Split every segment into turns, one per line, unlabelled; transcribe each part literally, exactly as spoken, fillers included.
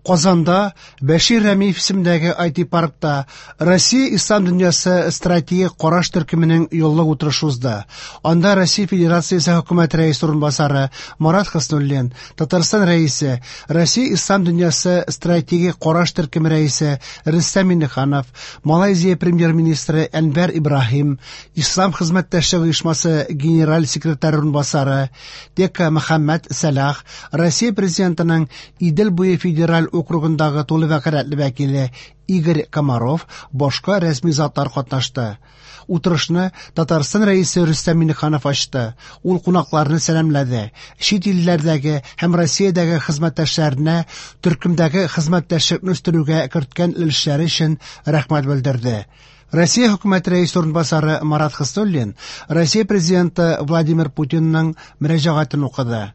Казанда Бәшир Рәмиев исемендәге ай ти-паркта Россия Ислам дөньясы стратегик караш төркеменең еллык утырышы узды. Анда Россия Федерациясе хөкүмәте рәисе урынбасары Марат Хөснуллин, Татарстан рәисе, Россия Ислам дөньясы стратегик караш төркеме рәисе Рөстәм Миңнеханов, Малайзия премьер-министры Әнвәр Ибраһим, Ислам хезмәттәшлеге оешмасы генераль секретаре урынбасары Тека Мөхәммәд Сәлах, Россия президентының Идел буе федераль округындагы тулы вәкаләтле вәкиле Игорь Комаров, башка рәсми затлар катнашты. Утырышны Татарстан рәисе Рөстәм Миңнеханов ачты. Ул кунакларны сәламләде. Чит илләрдәге һәм Россиядәге хезмәттәшләренә төркемдәге хезмәттәшлекне үстерүгә керткән өлешләре өчен рәхмәт белдерде. Россия хөкүмәте рәисе урынбасары Марат Хөснуллин Россия президенты Владимир Путинның мөрәҗәгатен укыды.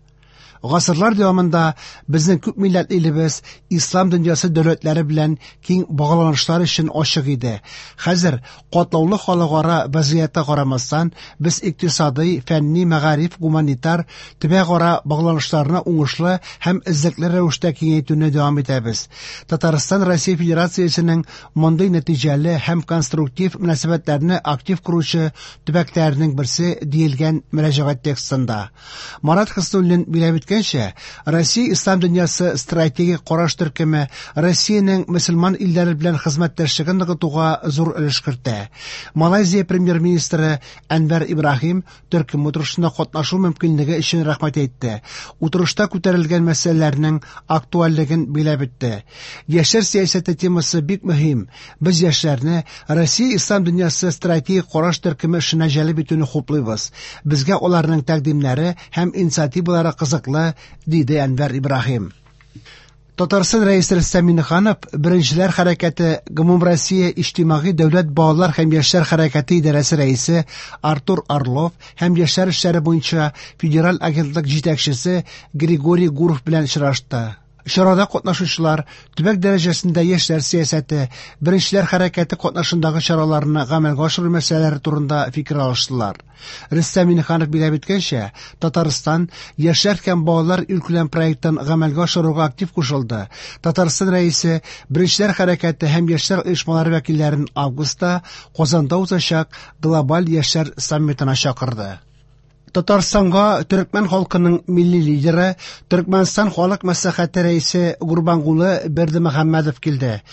Гасырлар дәвамында безнең күп милләтле илебез ислам дөньясы дәүләтләре белән киң багланышлар өчен ачык иде. Хәзер катлаулы халыкара вазгыятькә карамастан, без икътисадый, фәнни, мәгариф, гуманитар, төбәкара багланышларны уңышлы һәм эзлекле рәвештә киңәйтүне дәвам итәбез. Татарстан Россия Федерациясенең мондый нәтиҗәле һәм конструктив мөнәсәбәтләрне актив коручы төбәкләренең берсе диелгән мөрәҗәгать текстында. Марат Хөснуллин билгеләп үткәнчә, Россия Ислам дөньясы стратегик караш төркеме Россиянең мөселман илләре белән хезмәттәшлеген ныгытуга зур өлеш кертә. Малайзия премьер-министры Әнвәр Ибраһим төркем утырышында катнашу мөмкинлеге өчен рәхмәт әйтте. Утырышта күтәрелгән мәсьәләләрнең актуальлеген билгеләп үтте. Яшьләр сәясәте темасы бик мөһим. Без яшьләрне Россия Ислам дөньясы стратегик караш төркеме эшенә җәлеп итүне хуплыйбыз. Безгә аларның тәкъдимнәре һәм инициативалары кызыклы, диде Әнвәр Ибраһим. Татарстан рәисе Рөстәм Миңнеханов Беренчеләр хәрәкәте Гомумроссия иҗтимагый дәүләт балалар һәм яшьләр хәрәкәте идарәсе рәисе Артур Орлов һәм яшьләр эшләре буенча федераль агентлык җитәкчесе Григорий Гуров белән очрашты. Чарада катнашучылар төбәк дәрәҗәсендә яшьләр сәясәте, Беренчеләр хәрәкәте катнашындагы чараларны гамәлгә ашыру мәсьәләләре турында фикер алыштылар. Рөстәм Миңнеханов билгеләп үткәнчә, Татарстан яшьләр һәм балалар илкүләм проектын гамәлгә ашыруга актив кушылды. Татарстан рәисе Беренчеләр хәрәкәте һәм яшьләр оешмалары вәкилләрен августта Казанда узачак глобаль яшьләр саммитына чакырды. Татарстанга төркмән халкының милли лидеры, Төркмәнстан халык мәслихәте рәисе Гурбангулы Бердымөхәммәдов килде.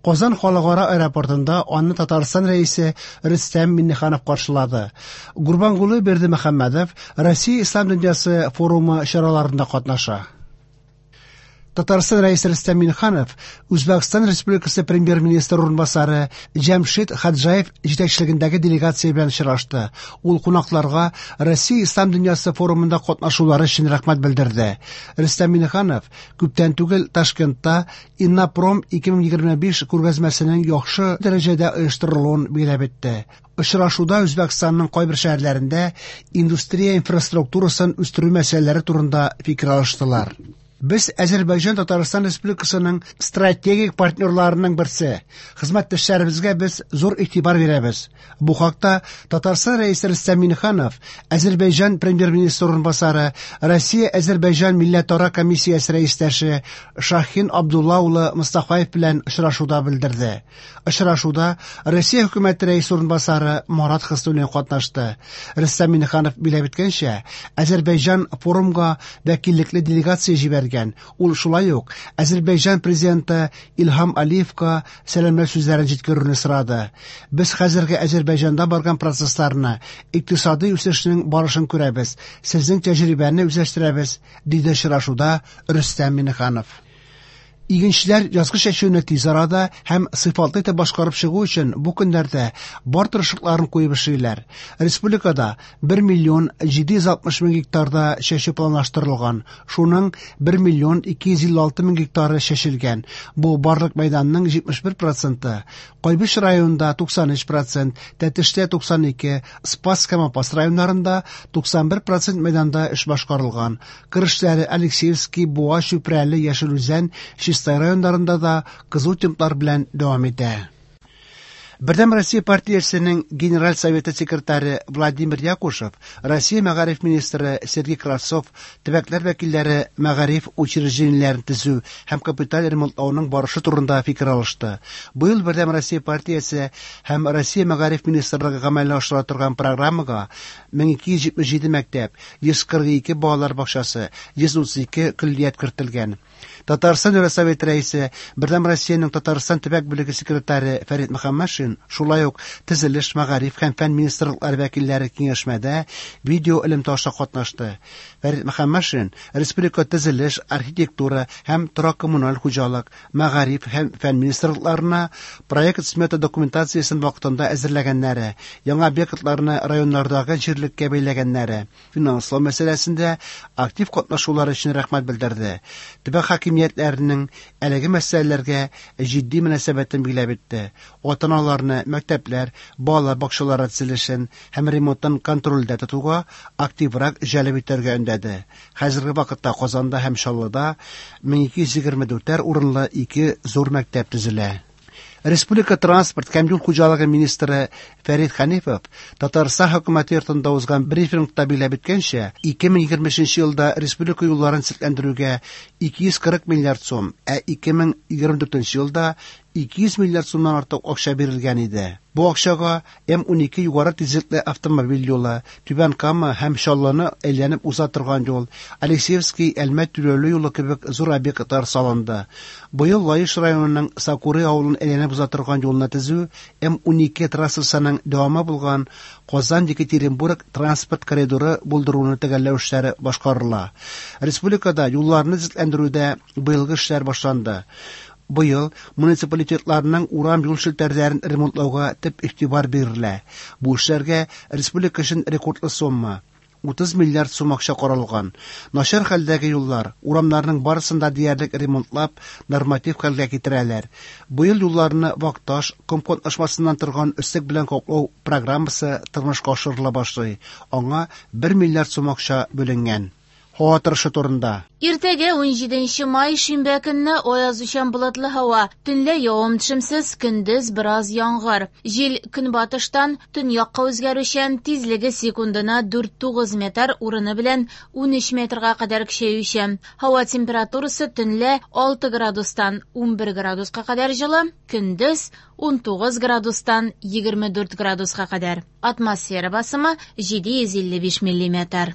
Казан халыкара аэропортында аны Татарстан рәисе Рөстәм Миңнеханов каршылады. Гурбангулы Бердымөхәммәдов Россия Ислам дөньясы форумы чараларында катнаша. Татарстан рәисе Рөстәм Миңнеханов Үзбәкстан Республикасы премьер-министры урынбасары Җәмшид Хаджаев җитәкчелегендәге делегация белән очрашты. Ул кунакларга Россия Ислам дөньясы форумында катнашулары өчен рәхмәт белдерде. Рөстәм Миңнеханов күптән түгел Ташкентта Иннопром ике мең егерме биш күргәзмәсенең яхшы дәрәҗәдә оештырылуын билгеләп үтте. Очрашуда Үзбәкстанның кайбер шәһәрләрендә индустрия инфраструктурасын үстерү мәсьәләләре турында фикер алыштылар. Без Азербайҗан Татарстан Республикасының стратегик партнерларының берсе. Хезмәттәшләребезгә без зур игътибар бирәбез. Бу хакта Татарстан рәисе Рөстәм Миңнеханов, Азербайҗан премьер-министры урынбасары, Россия Азербайҗан милләтара комиссиясе рәистәше Шахин Абдулла улы Мустафаев белән очрашуда белдерде. Очрашуда Россия хөкүмәте рәисе урынбасары Марат Хөснуллин катнашты. Рөстәм Миңнеханов билгеләп үткәнчә, Азербайҗан форумга вәкиллекле делегация җибәргән. Ул шулай ук Азербайҗан президенты Илһам Алиевка сәламләү сүзләрен җиткерүне сорады. Без хәзерге Азербайҗанда барган процессларны, икътисади үсешнең барышын күрәбез, сезнең тәҗрибәне үзләштерәбез, диде очрашуда Рөстәм Миңнеханов. Игенчеләр язгы чәчүне тиз арада һәм сыйфатлы итеп башкарып чыгу өчен бу көннәрдә бар тырышлыкларын куеп эшлиләр. Республикада бер миллион җиде йөз алтмыш мең гектарда чәчү планлаштырылган. Шуның бер миллион ике йөз илле алты мең гектары чәчелгән. Бу барлык мәйданның җитмеш бер проценты. Кайбыч районында туксан өч процент, Тәтештә туксан ике, Спас һәм Апас районнарында туксан бер процент мәйданда эш башкарылган. Кыр эшләре Алексеевский, Буа, Чүпрәле, Яшел Үзән, Чистай районнарында да кызу темплар белән дәвам итә. Бердәм Россия партиясенең Генераль советы секретаре Владимир Якушев, Россия мәгариф министры Сергей Кравцов, төбәкләр вәкилләре мәгариф учреждениеләрен төзү һәм капиталь ремонтлауның барышы турында фикер алышты. Быел Бердәм Россия партиясе һәм Россия мәгариф министрлыгы гамәлгә ашыра торган программага мең ике йөз җитмеш җиде мәктәп, йөз кырык ике балалар бакчасы, йөз утыз ике көллият кертелгән. Татарстан Дәүләт Советы рәисе, Бердәм Россиянең Татарстан төбәк бүлеге секретаре Фәрит Мөхәммәтшин, шулай ук төзелеш, мәгариф һәм фән министрлыклары вәкилләре киңәшмәдә видео элемтә аша катнашты. Фәрит Мөхәммәтшин республика төзелеш, архитектура һәм торак-коммуналь хуҗалык, мәгариф һәм фән министрлыкларына проект-смета документациясен вакытында әзерләгәннәре, яңа объектларны районнардагы җирлеккә бәйләгәннәре, финанслау мәсьәләсендә актив катнашулары өчен рәхмәт белдерде. Төбәк хакимиятләренең әлеге мәсьәләләргә җитди мөнәсәбәтен билгеләп үтте. Ата-аналарны мәктәпләр, балалар бакчалары төзелешен һәм ремонтын контрольдә тотуга активрак җәлеп итәргә өндәде. Хәзерге вакытта Казанда һәм Чаллыда мең ике йөз егерме дүртәр урынлы ике зур мәктәп төзелә. Республика транспорт һәм юл хуҗалыгы министры Фәрит Хәнифов Татарстан хөкүмәте йортында узган брифингта билгеләп үткәнчә, ике мең егерме өченче елда республика юлларын төзекләндерүгә ике йөз кырык миллиард сум, ә ике мең егерме дүртенче елда ике йөз миллиард сумнан артык акча бирелгән иде. Бу акчага М унике югары тизлекле автомобиль юлы, Түбән Кама һәм Чаллыны әйләнеп уза торган юл, Алексеевский Әлмәт түләүле юлы кебек зур объектлар салынды. Быел Лаеш районының Сакуры авылын әйләнеп уза торган юлны төзү М унике трассасының дәвамы булган Казан-Екатеринбург транспорт коридоры булдыруны төгәлләү эшләре башкарыла. Республикада юлларны төзекләндерүдә быелгы эшләр башланды. Быел муниципалитетларның урам юл челтәрләрен ремонтлауга төп игътибар бирелә. Бу эшләргә республика өчен рекордлы сумма утыз миллиард сум акча каралган. Начар хәлдәге юллар, урамнарның барысын да диярлек ремонтлап, норматив хәлгә китерәләр. Быел юлларны вак таш, ком катнашмасыннан торган өслек белән каплау программасы тормышка ашырыла башлый. Аңа бер миллиард сум акча бүленгән. Һава торышы турында.
Иртәгә унҗиденче май шимбә көнне аязучан болытлы һава. Төнлә явым-төшемсез, көндез бераз яңгыр. Җил көнбатыштан төньякка үзгәрүчән, тизлеге секундына дүрт тугыз метр, урыны белән унөч метрга кадәр көчәючән. Һава температурасы төнлә алты градустан унбер градуска кадәр җылы, көндез унтугыз градустан егерме дүрт градуска кадәр. Атмосфера басымы җиде йөз илле биш миллиметр.